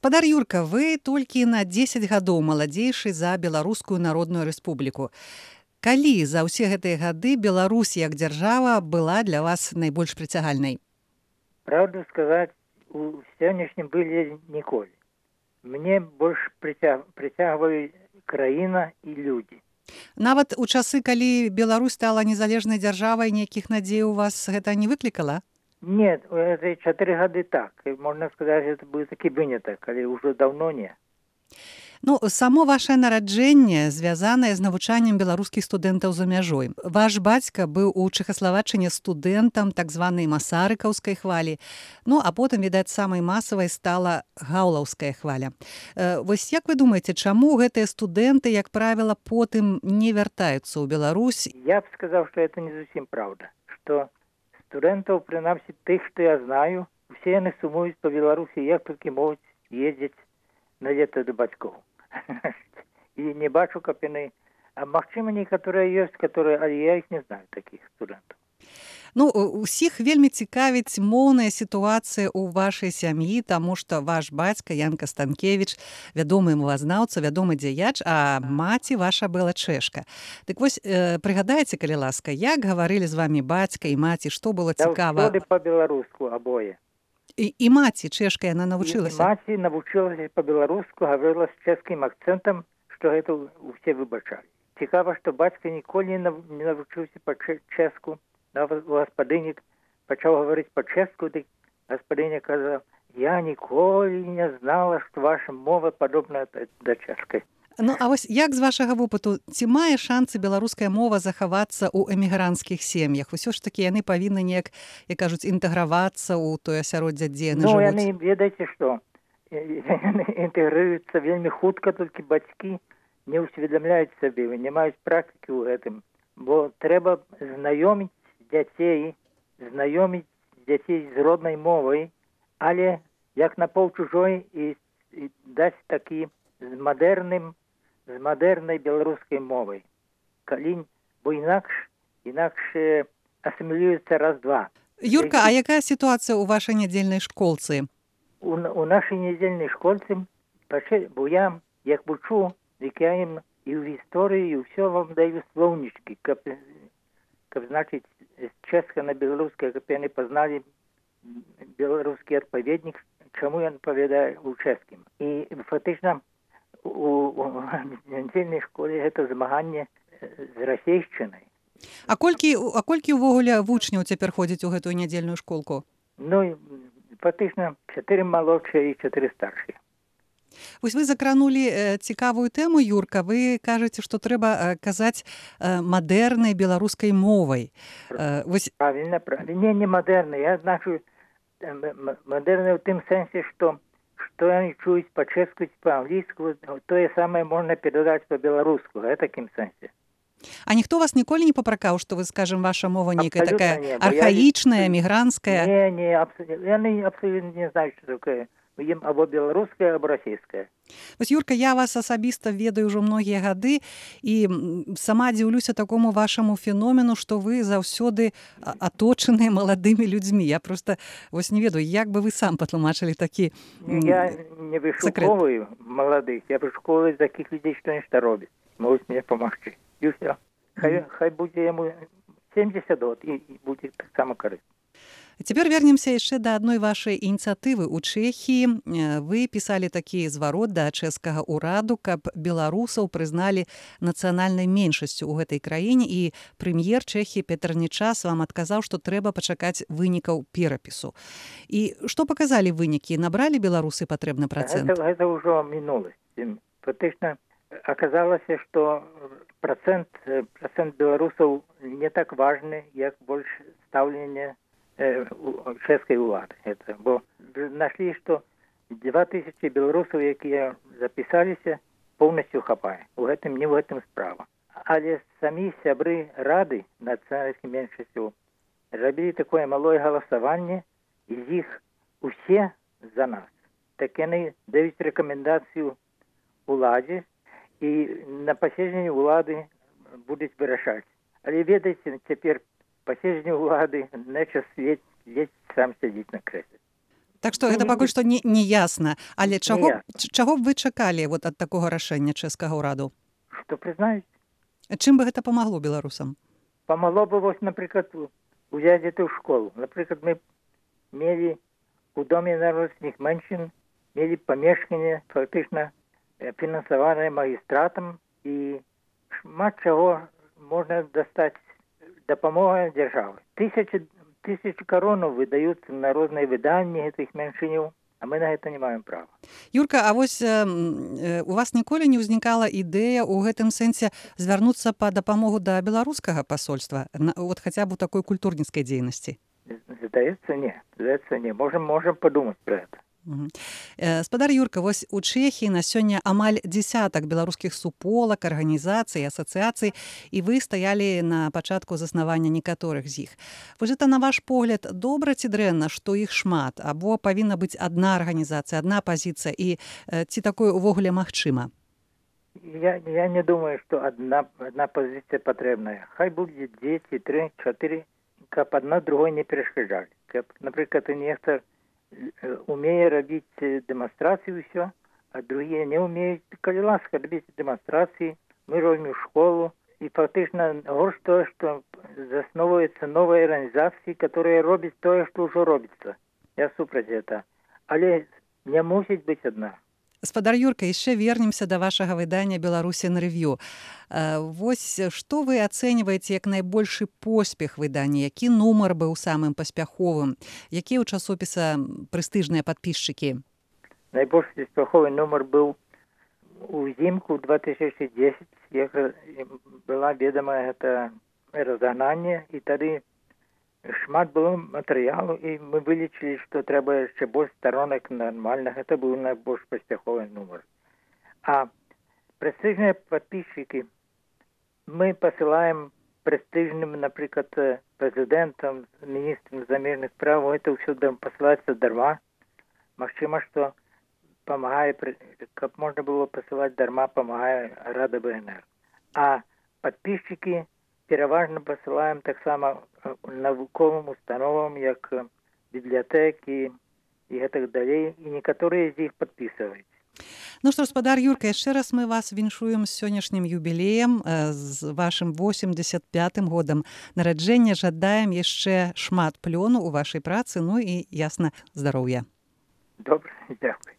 Гаспадар Юрка, вы толькі на 10 гадоў маладзейшы за Беларускую Народную Рэспубліку. Калі за ўсе гэтыя гады Беларусь як дзяржава была для вас найбольш прыцягальнай? Правду сказать, у сённяшнім былі ніколі. Мне больш прыцягваюць краіна і людзі. Нават у часы, калі Беларусь стала незалежнай дзяржавай, нейкіх надзей у вас гэта не выклікала? Нет, это 4 гады так. Можно сказать, это был таки выняток, але уже давно не. Ну, само ваше нараджэнне звязанае з навучаннем беларускіх студэнтаў за мяжой. Ваш бацька быў у Чэхаславаччыне студэнтам так званай масарыкаўскай хвалі. Ну, а потым, відаць, самай масавай стала гаўлаўская хваля. Вось як вы думаеце, чаму гэтыя студэнты, як правіла, потым не вяртаюцца ў Беларусь? Я б сказаў, што это не зусім праўда. Што студэнтаў, прынамсі тых, што я знаю, усе яны сумуюць па Беларусі, як толькі могуць ездзіць на лета да бацькоў. І не бачу, каб яны... А магчыма, некаторыя ёсць, але я іх не знаю, такіх студэнтаў. Ну, усіх вельмі цікавіць моўная сітуацыя ў вашай сям'і, таму што ваш бацька Янка Станкевіч, вядомы мовазнаўца, вядомы дзеяч, а маці ваша была чэшка. Дык вось, прыгадайце, калі ласка, як гаварылі з вамі бацька і маці, што было цікава? Заўсёды па-беларуску абое. І маці чэшка, яна навучылася? І маці навучылася па-беларуску, гаварыла з чэшскім акцэнтам, што гэта ўсе выбачалі. Цікава, што бацька ніколі не навучыўся па-чэшку. Гаспадыня пачаў гаварыць па-чэшку, дык гаспадыня казала: «Я ніколі не знала, што ваша мова падобная да чэшскай». Ну, а вось як з вашага вопыту, ці мае шанцы беларуская мова захавацца ў эмігранцкіх сем'ях? Усё ж такі яны павінны неяк, як кажуць, інтэгравацца ў тое асяроддзе, дзе яны жывуць? Ну, яны, ведаеце што, яны інтэгрыруюцца вельмі хутка, толькі бацькі не ўсведамляюць сабе, не маюць практыкі ў гэтым. Бо трэба знаёміць дзяцей з роднай мовай, але як на паўчужой і даць такі з мадэрнай беларускай мовай. Бо інакш асімілюецца раз-два. Юрка, а якая сітуацыя ў вашай нядзельнай школцы? У нашай нядзельнай школцы, бо я, як вучу, дык я ім і ў гісторыі, і ўсё вам даю слоўнічкі, каб значыць, з чэшска на беларускае, каб яны пазналі беларускі адпаведнік, чаму ён павядае ў чэшскім. І фактычна у нядзельнай школе гэта змаганне з расейшчынай. А колькі ўвогуле вучняў цяпер ходзіць у гэтую нядзельную школку? Ну, фактычна 4 малодшыя і 4 старшыя. Вось вы закранулі цікавую тэму, Юрка. Вы кажаце, што трэба казаць мадэрнай беларускай мовай. Правильно. Не мадэрнай. Я значу мадэрнай у тым сэнсе, што яны чуюць па-чэшку, па-англійску, тое самае можна перадаць па-беларуску, в такім сэнсе. А ніхто вас ніколі не папракаў, што вы, скажем, ваша мова нейкая такая архаічная, мігрантская? Не, яны абсолютно не знаюць, што такое. Ім або беларуская, або расійская. Вось, Юрка, я вас асабіста ведаю ўжо многія гады і сама дзіўлюся такому вашаму феномену, што вы заўсёды аточаныя маладымі людзьмі. Я проста вось не ведаю, як бы вы сам патлумачылі такі секрэт. Я не вышукоўваю маладых, я вышукоўваю такіх людзей, што нешта робяць. Могуць мне памагчы. І ўсё. Хай будзе яму 70 год і будзе таксама карысна. Цяпер вернемся яшчэ да адной вашай ініцыятывы ў Чэхіі. Вы пісалі такі зварот да чэшскага ўраду, каб беларусаў прызналі нацыянальнай меншасцю ў гэтай краіне, і прэм'ер Чэхіі Петр Нечас вам адказаў, што трэба пачакаць вынікаў перапісу. І што паказалі вынікі? Набралі беларусы патрэбны працэнт? Гэта ўжо мінуласць. Фактычна аказалася, што працэнт беларусаў не так важны, як больш стаўленне чэшскай улады. Бо нашлі, што 2000 беларусаў, якія запісаліся, поўнасцю хапае. Не ў гэтым справа. Але самі сябры рады нацыянальных меншасцяў рабілі такое малое галасаванне, і з іх усе за нас. Так яны даюць рэкамендацыю уладзе, і на паседжанні улады будуць вырашаць. Але ведаеце, цяпер паседжанне ўлады, Нечас ледзь сам сядзіць на крэсле. Так што гэта пакуль што не ясна. Але чаго б вы чакалі вот ад такога рашэння чэшскага ўраду? Што прызнаюць. Чым бы гэта памагло беларусам? Памагло бы, вось, напрыклад, узяць эту школу. Напрыклад, мы мелі у Доме народных меншин, мелі памешканне, фактычна фінансаванае магістратам, і шмат чаго можна дастаць дапамога дзяржавы. Тысячи коронаў выдаюцца на розныя выданні гэтых меншыняў, а мы на гэта не маем права. Юрка, а вось у вас ніколі не ўзнікала ідэя ў гэтым сэнсе звярнуцца па дапамогу да беларускага пасольства, вот хаця б у такой культурніцкай дзейнасці? Здаецца, не. Можем падумаць пра гэта. Спадар Юрка, вось у Чэхіі на сёння амаль дзесятак беларускіх суполак, арганізацый, асацыяцый, і вы стаялі на пачатку заснавання некаторых з іх. Вось гэта, на ваш погляд, добра ці дрэнна, што іх шмат, або павінна быць адна арганізацыя, адна пазіцыя, і ці такое ўвогуле магчыма? Я не думаю, што адна пазіцыя патрэбная. Хай будзе 2, 3, 4, каб адна другой не перашкаджалі. Каб, напрыклад, нехта умее рабіць дэманстрацыі ўсё, а другія не умеюць. Калі ласка, рабіць дэманстрацыі, мы робім школу, і фактычна горш тое, што засновваюцца новыя арганізацыі, которые робяць тое, што ўжо робіцца. Я супраць гэта. Але не мусіць быць адна. Спадар Юрка, яшчэ вернемся да вашага выдання «Беларусін рэв'ю». Вось што вы ацэньваеце як найбольшы поспех выдання? Які нумар быў самым паспяховым? Якія ў часопіса прэстыжныя падпісчыкі? Найбольш паспяховы нумар быў узімку 2010, як была ведамая гэта разагнанне, і тады шмат было матэрыялу, і мы вылічылі, што трэба яшчэ больш старонак нармальных. Гэта быў найбольш паспяховы нумар. А прэстыжныя падпісчыкі мы пасылаем прэстыжным, напрыклад, прэзідэнтам, міністрам замежных справ. Гэта ўсё пасылаецца дарма. Магчыма, што памагае, каб можна было пасылаць дарма, памагае Рада БНР. А падпісчыкі пераважна пасылаем таксама навуковым установам, як бібліятэкі і гэтак далей, і некаторыя з іх падпісваюць. Ну што, спадар Юрка, яшчэ раз мы вас віншуем з сённяшнім юбілеем, з вашым 85-м годам нараджэння. Жадаем яшчэ шмат плёну ў вашай працы, ну і, ясна, здароўя. Добра, дзякуй.